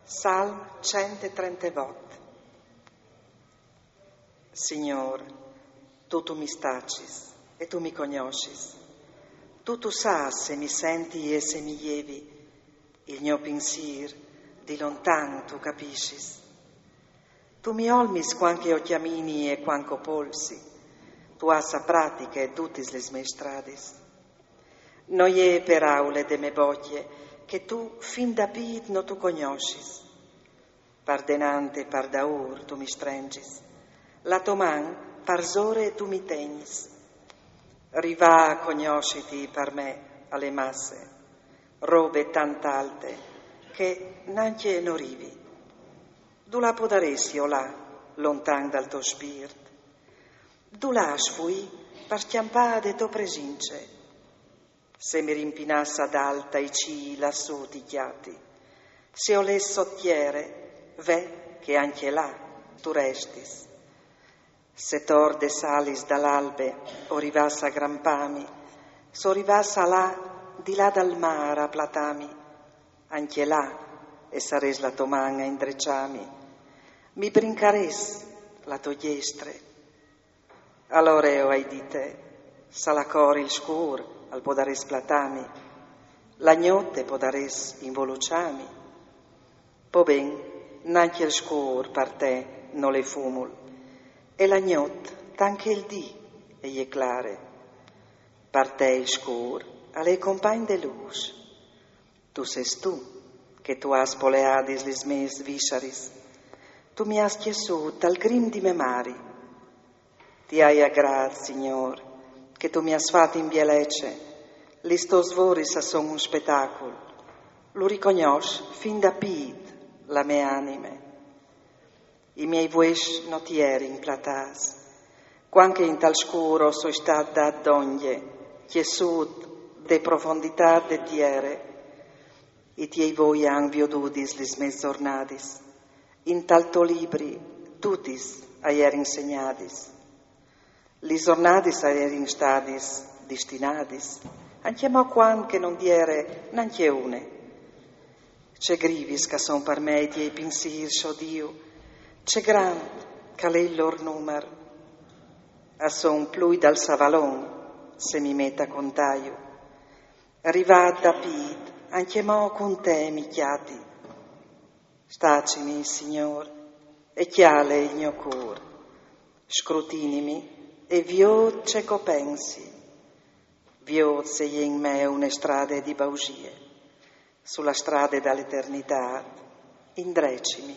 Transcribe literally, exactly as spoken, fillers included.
Salm cent e trentevot. Signôr, tu, tu mi stacis e tu mi cognossis. Tu, tu sâs se mi senti e se mi jevi, il gno pinsîr di lontan tu capissis. Tu mi olmis cuant che o cjamini e cuant che o polsi. Tu âs a pratiche dutis lis mês stradis. No je peraule de mê bocje che tu fin da pît no tu cognossis. Par denant e par daûr tu mi strengis. La tô man parsore tu mi tegnis. Rivâ a cognossiti par me al è masse, robe tant alte che nancje no rivi. Dulà podarès jo lâ lontan dal to spirt? Dulà sfuî par scjampâ de tô presince? Se mi rimpinàs adalt ai cîi, lassù ti cjati. Se o lès sot tiere, ve che ancje là tu restis. Se tor des alis dal albe o rivàs a grampâmi, se o rivàs a lâ di là dal mâr a platâmi, ancje là e sarès la tô man a indreçâmi. Mi brincarès la tô gjestre. Alore o ai dite: salacor il scûr al podarès platâmi, la gnot e podarès involuçâmi. Po ben, nancje il scûr par te nol è fumul, e la gnot tant che il dì e je clare. Par te il scûr al è compagn de lûs. Tu sês tu che tu âs poleadis lis mês vissaris. Tu mi âs cjessût tal grim di mê mari. Ti ai a grât, Signôr, che tu mi âs fat in bielece. Lis tôs voris a son un spetacul. Lu ricognòs fin da pît la mê anime. I miei vues no ti jerin platâts. Cuant che intal scûr o soi stât dât dongje, cjessût de profonditât de tiere, i tiei voi a àn viodudis lis mês zornadis. Intal to libri dutis a jerin segnadis. Lis zornadis a jerin stadis destinadis, ancjemò cuant che no 'nd jere nancje une. Ce grivis ch'a son par me i tiei pinsîrs, o Diu, ce grant ch'al è il lôr numar. A son plui dal savalon, se mi met a contâju. Rivât da pît, ancjemò cun te mi cjati. Stacimi, Signôr, e cjale il gno cûr. Scrutinimi e viôt ce ch'o pensi. Viôt se e je in me une strade di bausie. Su la strade da l'eternitât, indrecimi.